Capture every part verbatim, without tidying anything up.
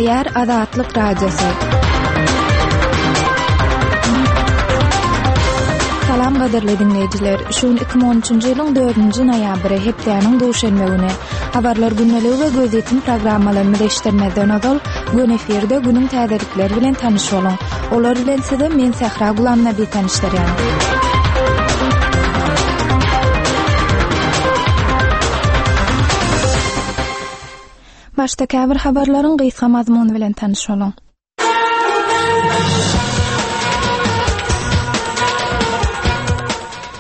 Gepleýär Azatlyk Radiosy. Salam gadyrly diňleýjiler. Şu gün iki müň on üçünji ýylyň dördünji noýabry, hepdäniň duşenbe güni. Habarlar gündeligi we gözýetim programmalarymyzy eşitdirmezden ozal, gün efirde günüň täzelikleri bilen tanyş boluň. Olar bilen size men Sähra Gulamnabi tanyşdyrýan. Başda käbir habarlaryň gysga mazmuny bilen tanyş boluň.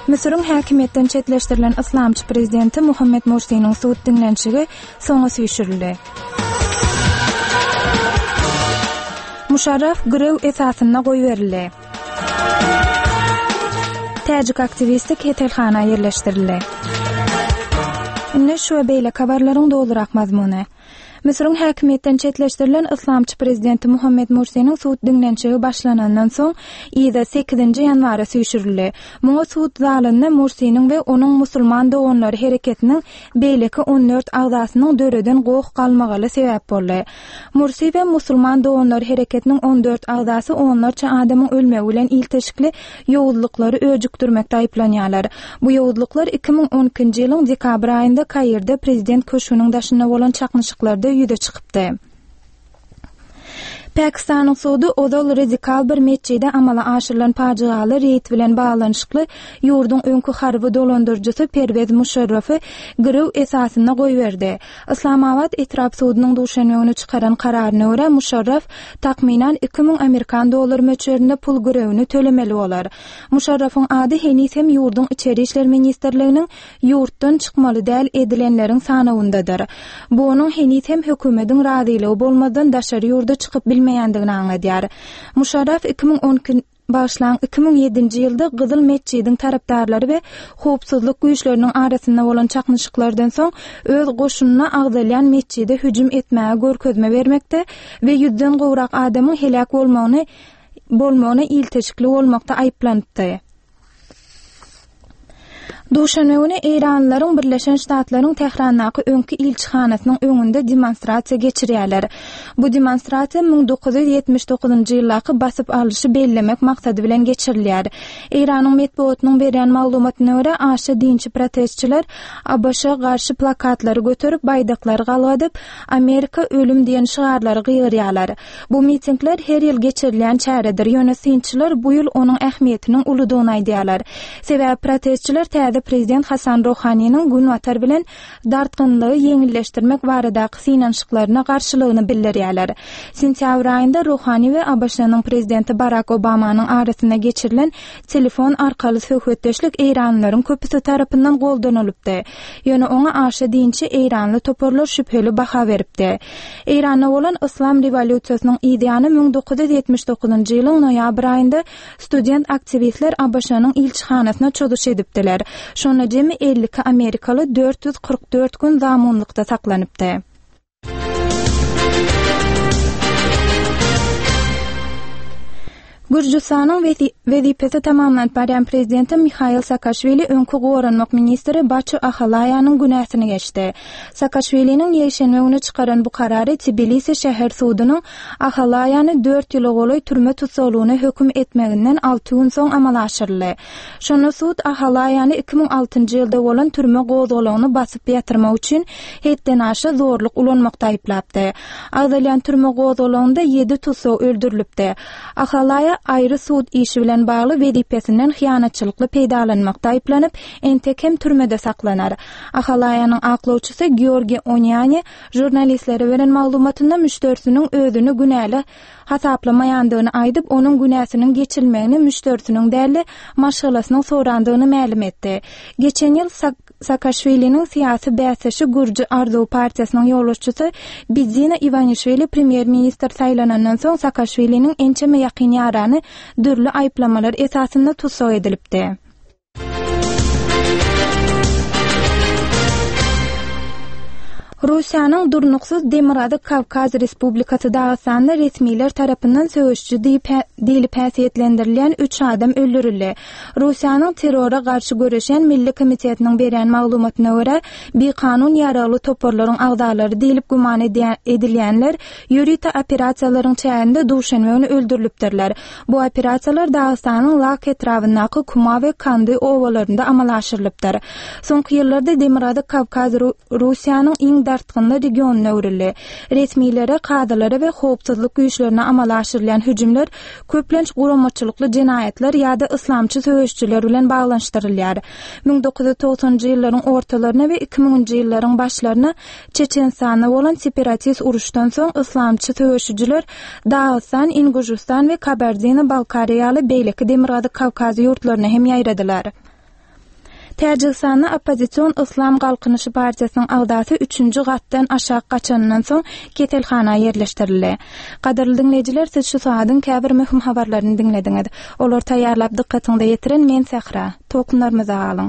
Müsüriň häkimiýetden çetleşdirilen yslamçy prezidenti Muhammed Mursiniň sud diňlenişigi soňa süýşürildi. Muşarraf girew esasynda goýberildi. Täjik aktiwisti keselhana ýerleşdirildi. Indi şu we beýleki habarlaryň dolurak mazmuny. Müsüriň häkimiýetden çetleşdirilen yslamçy prezidenti Muhammed Mursiniň sud diňlenişigi başlanandan soň yza sekizinji ýanwara süýşürildi. Muňa sud zalynda Mursiniň we onuň musulman doganlary hereketiniň beýleki on dört agzasynyň döreden goh galmagaly sebäp boldy. Mursi we musulman doganlary hereketiniň on dört agzasy onlarça adamyň ölmegi bilen ilteşikli ýowuzlyklary öjükdirmekde aýyplanýarlar. Bu ýowuzlyklar iki müň on ikinji ýylyň dekabr aýynda Kairde prezident köşgüniň daşynda bolan çaknyşyklarda ýüze çykypdy. Pakistanyň sudy ozal radikal bir metjide amala aşyrylan pajygaly reýd bilen baglanyşykly ýurduň öňki harby dolandyryjysy Perwez Muşarrafy girew esasynda goýberdi. Islamabad etrap sudunyň duşenbe güni çykaran kararyna görä Muşarraf takmynan iki müň amerikan dollar möçberinde pul girewini tölemeli bolar. Muşarrafyň ady heniz hem ýurduň İçeri İşler Ministrliginiň ýurtdan çykmaly däl edilenleriň sanawyndadyr. Bu onuň heniz hem hökümetiň razylygy bolmazdan daşary ýurda çykyp bilmeýändigini aňladýar. Muşarraf iki müň on iki başlan iki müň ýedinji ýylda Gyzyl Metjidiň tarapdarlary we howpsuzlyk güýçleriniň arasynda bolan çaknyşyklardan soň öz goşunyna agzalýan metjide hüjüm etmäge görkezme bermekde we ýüzden gowrak adamyň heläk bolmagyny bolmagyna ilteşikli bolmakda aýyplanypdy. Duşenbe güni Eýranlylaryň Birleşen Ştatlaryň Tährandaky öňki ilçihanasynyň öňünde demonstrasiýa geçirýärler. Bu demonstrasiýa müň dokuz ýüz ýetmiş dokuzynjy ýyldaky basyp alyşy bellemek maksady bilen geçirilýär. Eýranyň metbugatynyň berýän maglumatyna görä, aşa dinçi protestçiler A B Ş garşy plakatlary göterip, baýdaklary galgadyp, Amerika ölüm diýen şygarlary gygyrýarlar. Bu mitingler her ýyl geçirilýän çäredir. Ýöne synçylar bu ýyl onuň ähmiýetiniň uludygyny aýdýarlar. Sebäbi protestçiler täze prezident Hasan Rohaniniň günbatar bilen dartgynlygy ýeňilleşdirmek baradaky synanyşyklaryna garşylygyny bildirýärler. Sentýabr aýynda Rohani we A B Ş-nyň prezidenti Barack Obamanyň arasynda geçirilen telefon arkaly söhbetdeşlik Eýranlylaryň köpüsi tarapyndan goldanylypdy. Ýöne oňa aşa dinçi Eýranly toparlar şübheli baha beripdi. Eýranda bolan Islam rewolýusiýasynyň ýany müň dokuz ýüz ýetmiş dokuzynjy ýylyň noýabr aýynda student aktiwistler A B Ş-nyň ilçihanasyna çozuş edipdiler. Şonda jemi elli iki Amerikaly dört ýüz kyrk dört gün zamunlykda saklanypdy. Gürjüstanyň wezi-, wezipesi tamamlanyp barýan prezidenti Mihail Saakaşwili öňki goranmak ministri Baçu Ahalaýanyň günäsini geçdi. Saakaşwiliniň ýekşenbe güni çykaran bu karary Tbilisi şäher sudunyň Ahalaýany dört ýyla golaý türme tussaglygyna höküm etmeginden alty gün soň amala aşyryldy. Şonda sud Ahalaýany iki müň altynjy ýylda bolan türme gozgalagyny basyp ýatyrmak üçin hetden aşa zorluk ulanmakda aýyplapdy. Agzalýan türme gozgalagynda ýedi tussag öldürilipdi. Ahalaýa aýry sud işi bilen bagly wezipesinden hyýanatçylykly peýdalanmakda aýyplanyp, entek hem türmede saklanar. Ahalaýanyň aklawçysy Georgi Onýani žurnalistlere beren maglumatynda müşderisiniň özüni günäli hasaplamaýandygyny aýdyp, onuň günäsiniň geçilmegini müşderisiniň däl-de maşgalasynyň sorandygyny mälim etdi. Geçen ýyl Sak-, Saakaşwiliniň syýasy bäsdeşi Gürji Arzuw partiýasynyň ýolbaşçysy Bidzina Iwanişwili premýer-ministr saýlanandan soň Saakaşwiliniň ençeme ýakyn ýarany dürli aýyplamalar esasynda tussag edilipdi. Russiýanyň durnuksyz Demirgazyk Kawkaz Respublikasy Dagystanda resmiler tarapyndan söweşiji diýlip häsiýetlendirilýän üç adam öldürildi. Russiýanyň terrora garşy göreşýän Milli komitetiniň berýän maglumatyna görä, bikanun ýaragly toparlaryň agzalary diýlip güman edilýänler ýörite operasiýalaryň çäginde duşenbe güni öldürilipdirler. Bu operasiýalar Dagystanyň Lak etrabyndaky Kuma we Kandy obalarynda amala aşyrylypdyr. Soňky ýyllarda Demirgazyk Kawkaz Russiýanyň iň dartgynly regionyna öwrüldi. Resmilere, kazylara we howpsuzlyk güýçlerine amala aşyrylýan hüjümler köplenç guramaçylykly jenaýatlar ýa-da yslamçy söweşijiler bilen baglanyşdyrylýar. Müň dokuz ýüz togsanynjy ýyllaryň ortalaryna we iki müňünji ýyllaryň başlaryna Çeçenistanda bolan separatist uruşdan soň yslamçy söweşijiler Dagystan, Inguşystan we Kabardino-Balkariýa ýaly beýleki Demirgazyk Kawkaz ýurtlaryna hem ýaýradylar. Täjigistanda oppozision Yslam galkynyşy partiýasynyň agzasy üçünji gatdan aşak gaçanyndan soň keselhana ýerleşdirildi. Gadyrly diňleýjiler, siz şu sagadyň käbir möhüm habarlaryny diňlediňiz. Olary taýýarlap dykgatyňyza ýetiren men Sähra. Tolkunlarymyzda galyň.